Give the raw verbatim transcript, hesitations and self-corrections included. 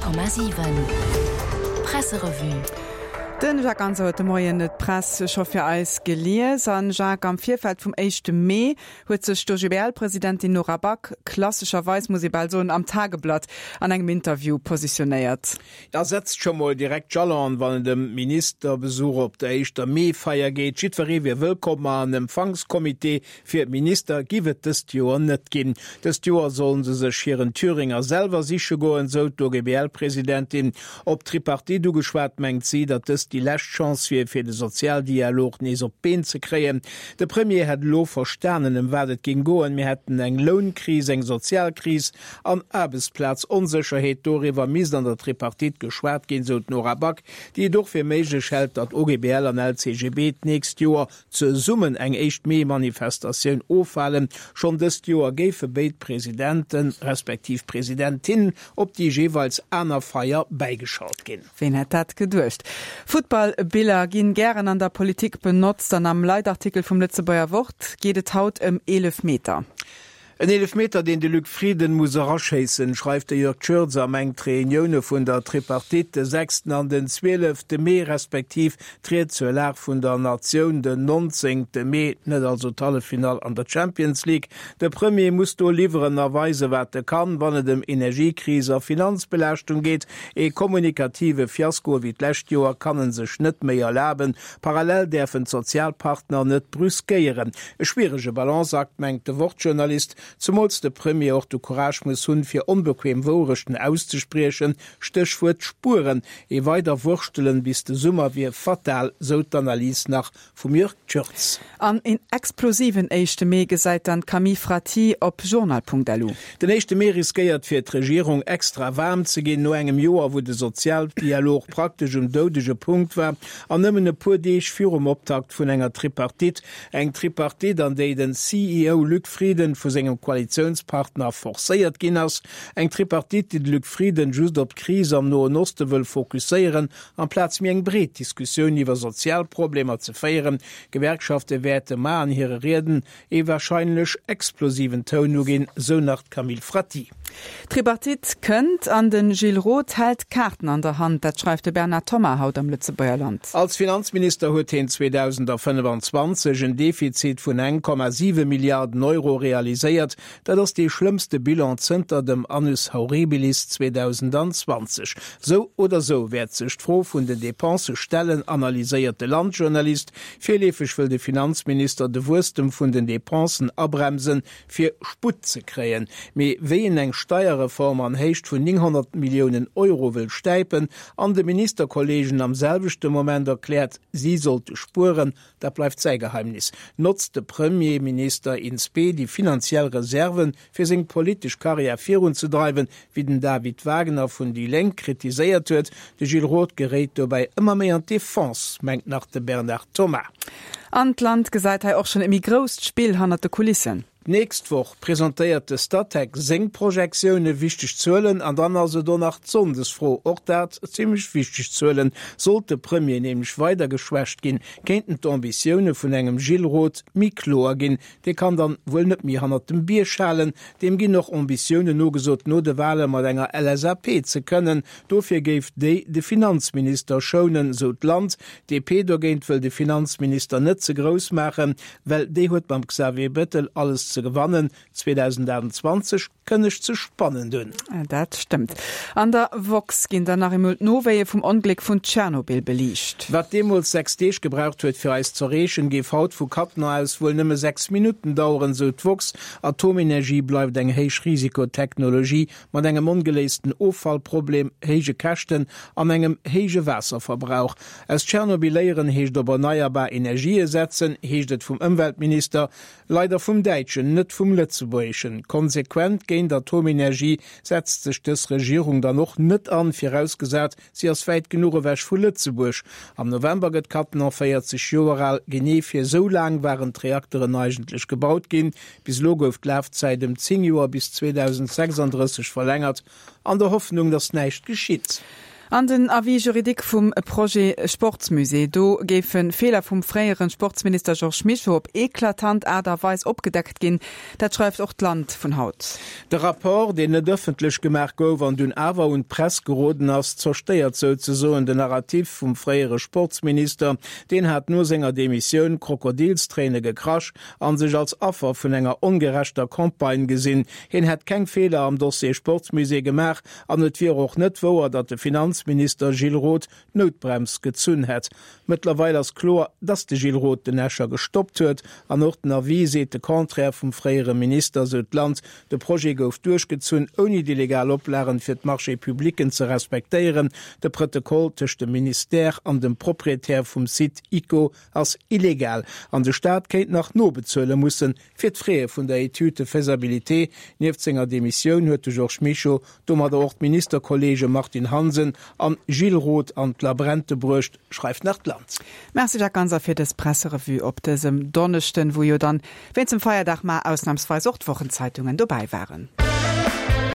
Honnert Komma siwen Presserevue. Den Jacques Ganser huet de Moien d'Press scho fir eis gelies. An Jacques, am Virfeld vum éischte Mee huet sech d'O G B L-Presidentin Nora Back, klassescherweis muss ee bal soen, am Tageblatt an engem Interview positionéiert. Ja, setzt scho mol direkt Jalon, wann et ëm Ministerbesuch op der éischter Mee-Feier geet. Jiddweree wier wëllkomm, ma en Empfangscomité fir d'Minister giff et dëst Joer net ginn. Dëst Joer sollen se sech hiren Thüringer selwer siche goen, sou d'O G B L-Presidentin. Op d'Tripartite ugeschwat, mengt si, datt dëst déi lescht Chance wier, fir de Sozialdialog nees op d'Been ze kréien. De Premier hätt elo verstanen, ëm wat et géing goen. Mir hätten eng Lounkris, eng Sozialkris an Aarbechtsplaz-Onsécherheet. Doriwwer misst an der Tripartite geschwat ginn, sou d'Nora Back, déi et och fir méiglech hält, datt O G B L an L C G B d'nächst Joer zesummen eng éischt Mee-Manifestatioun ofhalen. Schonn dëst Joer géife béid Presidenten, respektiv Presidentin, op déi jeeweils aner Feier bäigeschalt ginn. Ween hätt dat geduecht? Futtballbiller ginn gären an der Politik benotzt an am Leitartikel vum Lëtzebuerger Wort geet et haut ëm Eelefmeter. En Eelefmeter, deen de Luc Frieden muss eraschéissen, schreift de Jörg Tschürtz a mengt d'Reunioune vun der Tripartite de sechsten an den zwielefte Mee respektiv d'Ried zur Lag vun der Natioun den nonzéngte Mee, net also d'Halleffinall an der Champions League. De Premier muss do liwweren a weisen, wat e kann, wann et ëm Energiekris a Finanzbelaaschtung geet. Ee kommunikative Fiasko wéi d'lescht Joer kann en sech net méi erlaben. Parallel däerfen d'Sozialpartner net brüskéieren. E schwierege Balanceakt, mengt de Wort-Journalist. Zemools de Premier och de Courage muss hunn, fir onbequem Wourechten auszespriechen, Stéchwuert Spueren. Ee weider Wurschtelen bis de Summer wier fatal, sou d'Analys nach vum Jörg Tschürtz. An een explosiven éischte Mee gesäit dann d'Camille Fratti op journal Punkt L U. Den éischte Mee riskéiert fir d'Regierung extra waarm ze ginn, no engem Joer, wou de Sozialdialog praktesch um doudege Punkt war an nëmmen e puer Deeg virum Optakt vun enger Tripartite. Eng Tripartite, an déi den C E O Luc Frieden vu sengem Koalitiounspartner forcéiert ginn ass. Eng Tripartite, déi de Luc Frieden just op d'Kris am Noen Oste wëll fokusséieren, amplaz méi eng breet Diskussioun iwwer Sozialproblemer ze féieren. Gewerkschafte wäerte mar an hire Rieden ee warscheinlech explosiven Toun uginn, sou nach d'Camille Fratti. D'Tripartite kënnt an de Gilles Roth hält d'Kaarten an der Hand, dat schreift de Bernard Thoma haut am Lëtzebuerger Land. Als Finanzminister huet hien zweedausendfënnefenzwanzeg en Defizit vun eng Komma siwe Milliarden Euro realiséiert. Dat ass dee schlëmmste Bilan zënter dem Annus Horribilis zweedausendzwanzeg. Sou oder sou wäert sech d'Fro vun den Depensë stellen, analyséiert de Landjournalist. Virleefeg wëll de Finanzminister de Wuesstem vun den Depensen abremsen, fir Sputt ze kréien. Mee wéi en eng Steierreform an Héicht vun nénghonnert Milliounen Euro wëll stäipen an de Ministerkolleegen am selwechte Moment erkläert, si sollte spueren, dat bleift säi Geheimnis. Notzt de Premierminister in spe déi finanziell Reserven, fir seng politesch Karriär virunzedreiwen, wéi den David Wagner vun déi Lénk kritiséiert huet? De Gilles Roth geréit dobäi ëmmer méi an d'Defense, mengt nach de Bernard Thoma. An d'Land gesäit hei och schonn e méi grousst Spill hannert de Kulissen. D'nächst Woch presentéiert de Statec seng Projektioune, wichteg Zuelen, an dann ass et och nach d'Sonndesfro, och dat zimmlech wichteg Zuelen. Sollt de Premier nämlech weider geschwächt ginn, kéinten d'Ambitioune vun engem Gilles Roth méi kloer ginn. Dee kann dann wuel net méi hannert dem Bierg halen. Deem ginn och Ambitiounen nogesot, no de Wale mat enger L S A P ze kënnen. Dofir géif déi de Finanzminister schounen, sou d'Land. D P dogéint wëll de Finanzminister net ze grouss maachen, well déi huet mam Xavier Bettel alles ze gewannen. zweedausendaachtundzwanzeg kënnegt sech spannend un. Dat stëmmt. An der Woxx ginn dann nach eemol d'Nowéie vum Ongléck vun Tschernobyl beliicht. Wat deemools sechs Deeg gebraucht huet, fir eis z'erreechen, géif haut vu Cattenom aus wuel nëmme sechs Minutten daueren, sou d'Woxx. Atomenergie bleift eng Héichrisikotechnologie mat engem ongeléisten Offallproblem, héije Käschten an engem héije Waasserverbrauch. Aus Tschernobyl léieren heescht op erneierbar Energië setzen, heescht et vum Ëmweltminister, leider vum däitschen, net vum lëtzebuergeschen. Konsequent géint Atomenergie setzt sech dës Regierung dann och net an, virausgesat si ass wäit genuch ewech vu Lëtzebuerg. Am November gëtt Cattenom véierzeg Joer al, genee fir esou laang waren d'Reakteren eigentlech gebaut ginn. Bis elo gouf d'Lafzäit ëm zéng Joer bis zweedausendsechsandrësseg verlängert, an der Hoffnung, datt näischt geschitt. An den Avis juridique vum Projet Sportsmusée, do géife Feeler vum fréiere Sportsminister Georges Mischo op eklatant Aart a Weis opgedeckt ginn. Dat schreift och d'Land vun haut. De Rapport, deen net ëffentlech gemaach gouf an dunn awer un d'Press geroden ass, zerstéiert souzesoen den Narrativ vum fréiere Sportsminister. Deen hat no senger Demissioun Krokodilstréine gekrasch a sech als Affer vun enger ongerechter Campagne gesinn. Hien hätt keng Feeler am Dossier Sportsmusée gemaach an et wier och net wouer, datt de Finanzminister Gilles Roth d'Noutbrems gezunn hätt. Mëttlerweil ass kloer, datt de Gilles Roth den Escher gestoppt huet an och den Avis seet de Contraire vum fréiere Minister, sou d'Land. De Projet gouf duerchgezunn, ouni déi legal Oplagen fir d'Marchés publics ze respektéieren. De Protokoll tëscht dem Ministère an dem Proprietär vum Site ICO ass illegal an de Staat kéint nach nobezuele mussen fir d'Fraie vun der Étude de faisabilité. Nieft senger Demissioun huet de Georges Mischo domadder och d'Ministerkolleege Martine Hansen an Gilles Roth an d'Labrente bruecht, schreift nach d'Land. Merci Jacques Ganser fir dës Presserevue op dësem Donneschden, wou jo dann wéinst dem Feierdag mar ausnamsweis och d'Wochenzeitungen dobäi waren.